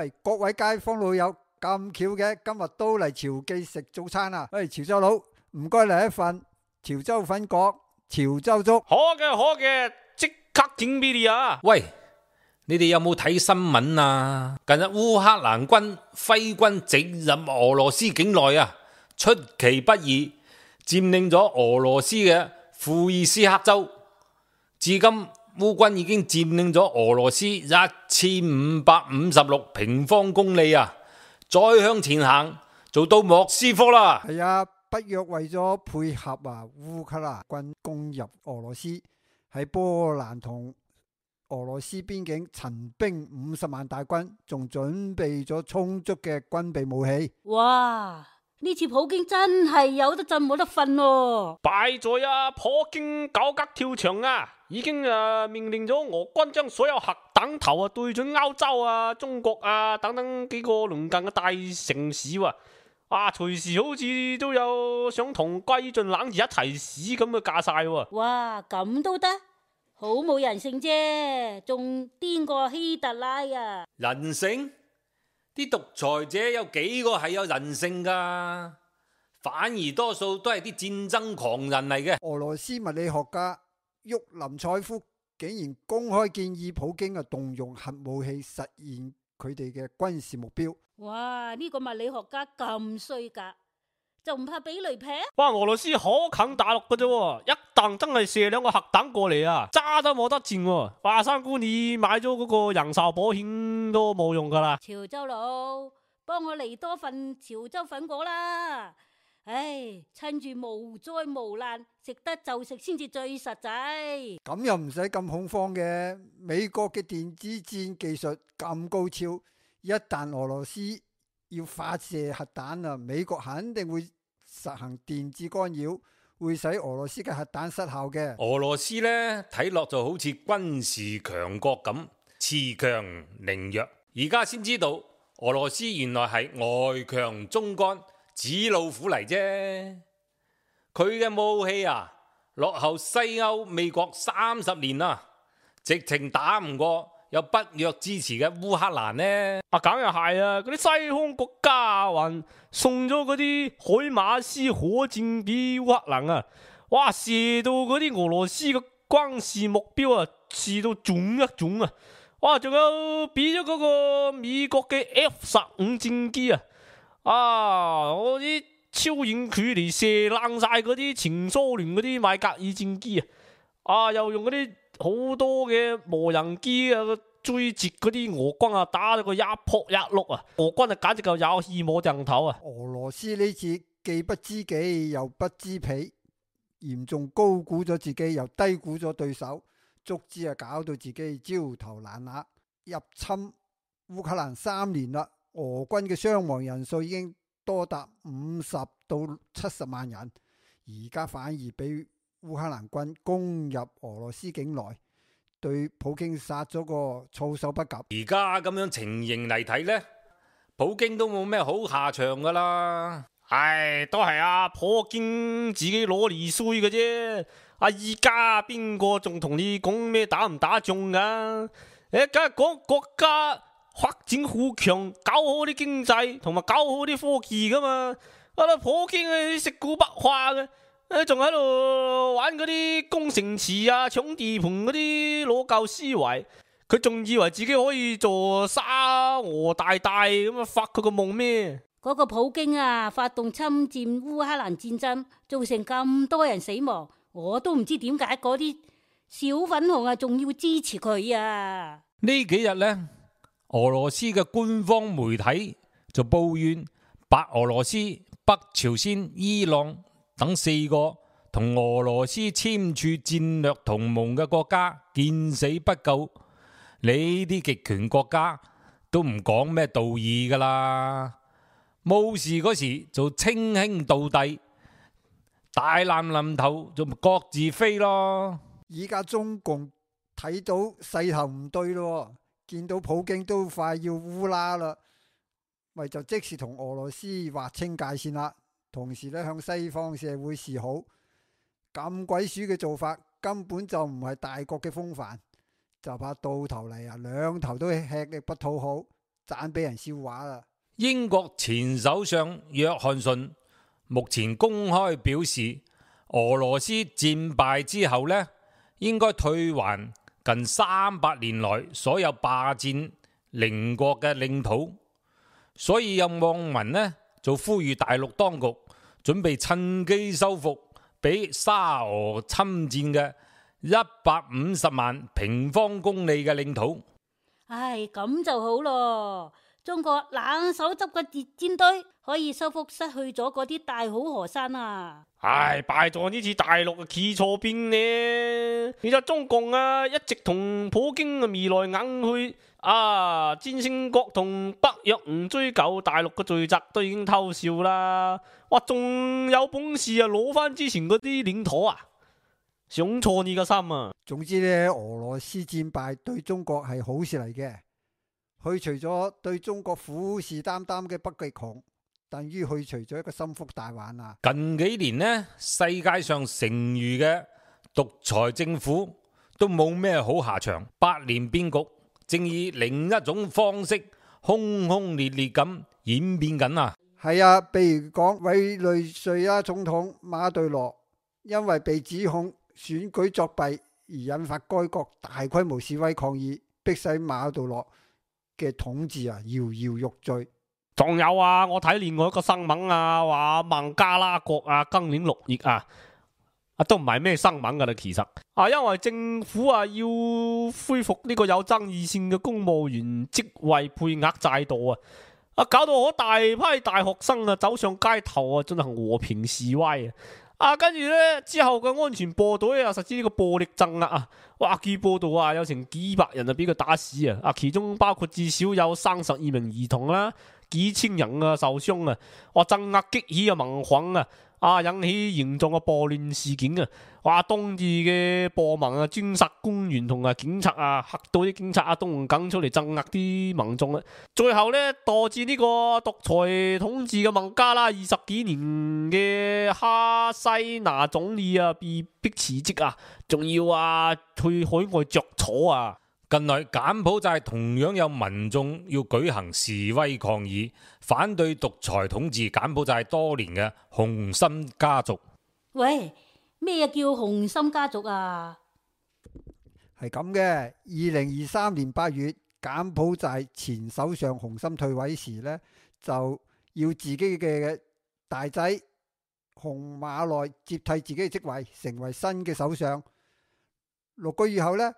喂，各位街坊老友，咁巧嘅，今日都嚟潮記食早餐啊！喂，潮州佬，唔該嚟一份潮州粉角、潮州粥。好嘅，即刻整俾你啊！喂，你哋有冇睇新聞啊？近日烏克蘭軍揮軍直入俄羅斯境內啊，出其不意佔領咗俄羅斯嘅庫爾斯克州。至今烏軍已經佔領咗俄羅斯1556平方公里啊！再向前行就到莫斯科啦。係啊，北約為咗配合烏克蘭軍攻入俄羅斯，喺波蘭同俄羅斯邊境陳兵50萬大軍，仲準備咗充足嘅軍備武器。哇！呢次普京真係有得震冇得瞓喎！敗在普京搞急跳牆啊！已經命令咗俄軍將所有核彈頭對準歐洲中國等等幾個鄰近嘅大城市喎。隨時好似都有想同歸盡冷字一齊死咁嘅架勢喎。哇！咁都得，好冇人性啫，仲癲過希特拉啊！人性？啲獨裁者有幾個係有人性噶？反而多數都係啲戰爭狂人嚟嘅。俄羅斯物理學家沃林采夫竟然公開建議普京動用核武器實現佢哋嘅軍事目標。哇！呢個物理學家咁衰格，就唔怕俾雷劈？哇！俄羅斯好近大陸嘅啫，一旦真係射兩個核彈過嚟揸都冇得戰。華山姑你買咗嗰個人壽保險都冇用噶啦。潮州佬，幫我嚟多份潮州粉果啦！唉，趁住無災無難，食得就食先至最實際。咁又唔使咁恐慌嘅，美國嘅電子戰技術咁高超，一旦俄羅斯要發射核彈美國肯定會實行電子干擾，會使俄羅斯嘅核彈失效嘅。俄羅斯呢，睇落就好似軍事強國咁，恃強凌弱。而家先知道俄羅斯原來係外強中乾，紙老虎嚟啫。佢嘅武器落後西歐美國30年啦，直情打唔過有北約支持嘅烏克蘭呢。梗係嗰啲西方國家還送咗嗰啲海馬斯火箭俾烏克蘭哇，射到嗰啲俄羅斯嘅軍事目標射到準一準哇，仲有俾咗嗰個美國嘅 F-15戰機嗰啲超遠距離射爛晒嗰啲前蘇聯嗰啲米格爾戰機又用嗰啲好多嘅無人機追截嗰啲俄軍打咗個一撲一碌俄軍簡直就有氣冇掟頭俄羅斯呢次既不知己又不知彼，嚴重高估咗自己又低估咗對手，足之搞到自己焦頭爛額。入侵烏克蘭3年啦，俄軍嘅傷亡人數已經多達50到70萬人，而家反而俾烏克蘭軍攻入俄羅斯境內，對普京殺咗個措手不及。而家咁樣情形嚟睇呢，普京都冇咩好下場噶啦。都係普京自己攞嚟衰嘅啫。依家邊個仲同你講咩打唔打仗噶？梗係講國家發展好強，搞好啲經濟同埋搞好啲科技噶嘛。普京食古不化嘅，仲喺度玩嗰啲工程池搶地盤嗰啲攞舊思維，佢仲以為自己可以做沙俄大大咁發佢個夢咩？嗰個普京發動侵佔烏克蘭戰爭，造成咁多人死亡，我都唔知點解嗰啲小粉紅仲要支持佢呢幾日呢，俄羅斯嘅官方媒體就抱怨白俄羅斯、北朝鮮、伊朗等4個同俄羅斯簽署戰略同盟嘅國家見死不救。你啲極權國家都唔講咩道義噶啦，冇事嗰時就稱兄道弟，大難臨頭就各自飛咯。而家中共睇到勢頭唔對咯，見到普京都快要烏拉啦，咪就即時同俄羅斯劃清界線啦，同時咧向西方社會示好。咁鬼鼠嘅做法根本就唔係大國嘅風範，就怕到頭嚟兩頭都吃力不討好，盞俾人笑話啦。英國前首相約翰遜目前公開表示，俄羅斯戰敗之後呢，應該退還近300年來所有霸佔鄰國嘅領土，所以有網民呢就呼籲大陸當局準備趁機收復俾沙俄侵佔嘅150萬平方公里嘅領土。唉，咁就好咯。中國冷手執個戰隊可以收復失去咗嗰啲大好河山啊！唉，拜咗呢次大陸企錯邊呢？其實中共一直同普京未來硬去戰勝國同北約唔追究大陸嘅罪責都已經偷笑啦。哇，仲有本事攞翻之前嗰啲領土啊！想錯你個心啊！總之呢，俄羅斯戰敗對中國係好事嚟嘅。去除咗對中國虎視眈眈嘅北極熊，等於去除咗一個心腹大患啊！近幾年呢，世界上剩餘嘅獨裁政府都冇咩好下場，百年變局正以另一種方式轟轟烈烈咁演變緊啊！係啊，譬如講委內瑞拉總統馬杜羅，因為被指控選舉作弊而引發該國大規模示威抗議，迫使馬杜羅嘅統治搖搖欲墜。仲有我睇另外一個新聞話孟加拉國今年6月都唔係咩新聞噶啦，其實因為政府要恢復呢個有爭議性嘅公務員職位配額制度搞到好大批大學生走上街頭進行和平示威跟住呢，之後嘅安全部隊實施呢個暴力鎮壓據報道有成幾百人俾佢打死其中包括至少有32名兒童啦，幾千人受傷鎮壓激起民憤引起嚴重嘅暴亂事件當地嘅暴民專殺官員同警察嚇到啲警察都唔敢出嚟鎮壓啲民眾最後呢，導致呢個獨裁統治嘅孟加拉20幾年嘅哈西娜總理被逼辭職仲要去海外着草近來柬埔寨同樣有民眾要舉行示威抗議，反對獨裁統治柬埔寨多年嘅洪森家族。喂，咩叫洪森家族啊？係咁嘅，2023年8月，柬埔寨前首相洪森退位時呢，就要自己嘅大仔洪馬內接替自己嘅職位，成為新嘅首相。6個月後呢，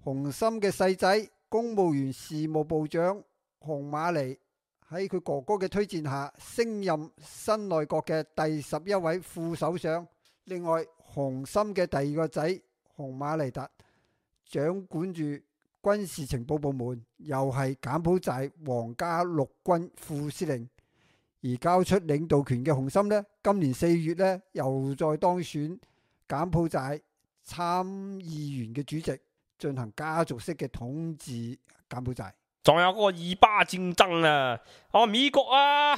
洪森嘅細仔公務員事務部長洪馬尼喺佢哥哥嘅推薦下升任新內閣嘅第11位副首相。另外，洪森嘅第二個仔洪馬尼特掌管住軍事情報部門，又係柬埔寨皇家陸軍副司令。而交出領導權嘅洪森呢，今年4月呢又再當選柬埔寨參議員嘅主席，進行家族式嘅統治柬埔寨。仲有嗰個以巴戰爭美國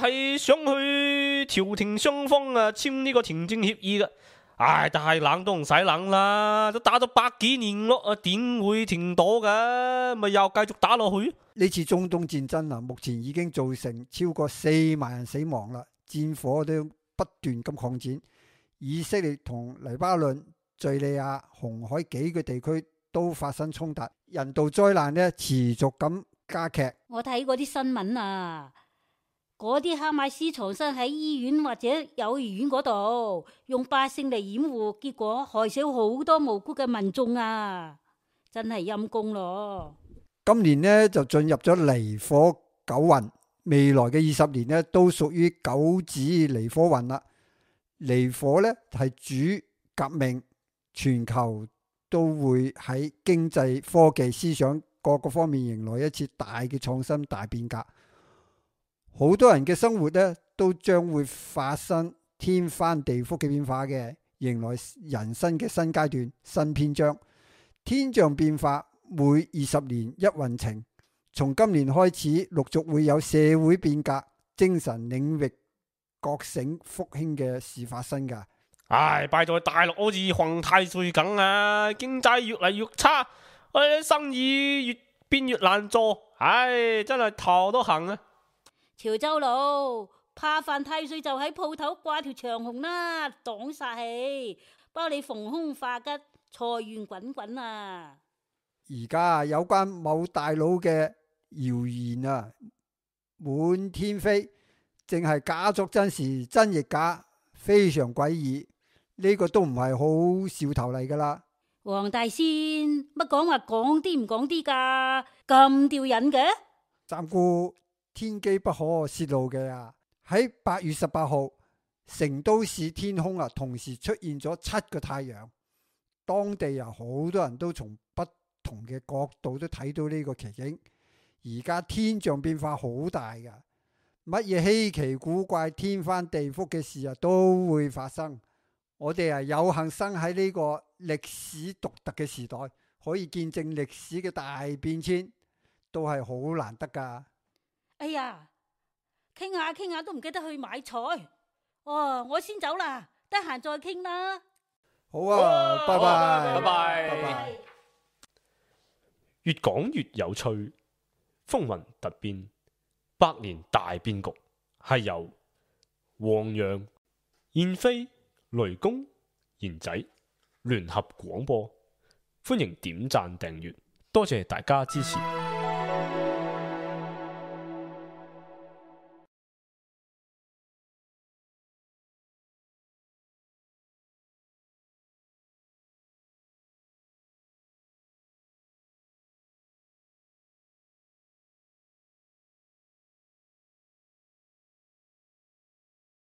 係想去調停雙方簽呢個停戰協議嘅，但係冷都唔使冷啦，都打咗100幾年咯，點會停到㗎？咪又繼續打落去？呢次中東戰爭目前已經造成超過4萬人死亡啦，戰火都不斷咁擴展。以色列同黎巴嫩、敘利亞、紅海幾個地區都發生衝突，人道災難呢持續咁加劇。我睇嗰啲新聞嗰啲哈馬斯藏身喺醫院或者幼兒園嗰度，用百姓嚟掩護，結果害死好多無辜嘅民眾真係陰公咯。今年呢就進入咗離火九運，未來嘅20年呢都屬於九子離火運啦。離火呢係主革命，全球都會喺經濟、科技、思想各個方面迎來一次大嘅創新大變革。好多人嘅生活呢都將會發生天翻地覆嘅變化嘅，迎來人生嘅新階段、新篇章。天象變化每20年一運程，從今年開始陸續會有社會變革、精神領域覺醒復興嘅事發生噶。拜在大陸好似犯太歲咁經濟越嚟越差，生意越變越難做。唉，真係頭都痕啊！潮州佬怕犯太歲就喺鋪頭掛條長紅啦，擋煞氣，包你逢凶化吉，財源滾滾啊！而家有關某大佬嘅謠言啊，滿天飛，淨係假作真時，真亦假，非常詭異。呢個都唔係好兆頭嚟噶啦。黃大仙乜講話講啲唔講啲噶，咁吊癮嘅？暫顧天機不可泄露嘅啊！喺8月18號，成都市天空啊，同時出現咗7個太陽，當地啊好多人都從不同嘅角度都睇到呢個奇景。而家天象變化好大噶，乜嘢稀奇古怪、天翻地覆嘅事啊都會發生。我哋啊有幸生喺呢個歷史獨特嘅時代，可以見證歷史嘅大變遷，都係好難得噶。哎呀，傾下傾下都唔記得去買菜。哦，我先走啦，得閒再傾啦。好啊，拜拜，拜拜拜拜。越講越有趣，風雲突變，百年大變局，係由黃洋、燕飛、雷公、賢仔聯合廣播，歡迎點讚訂閱，多謝大家支持。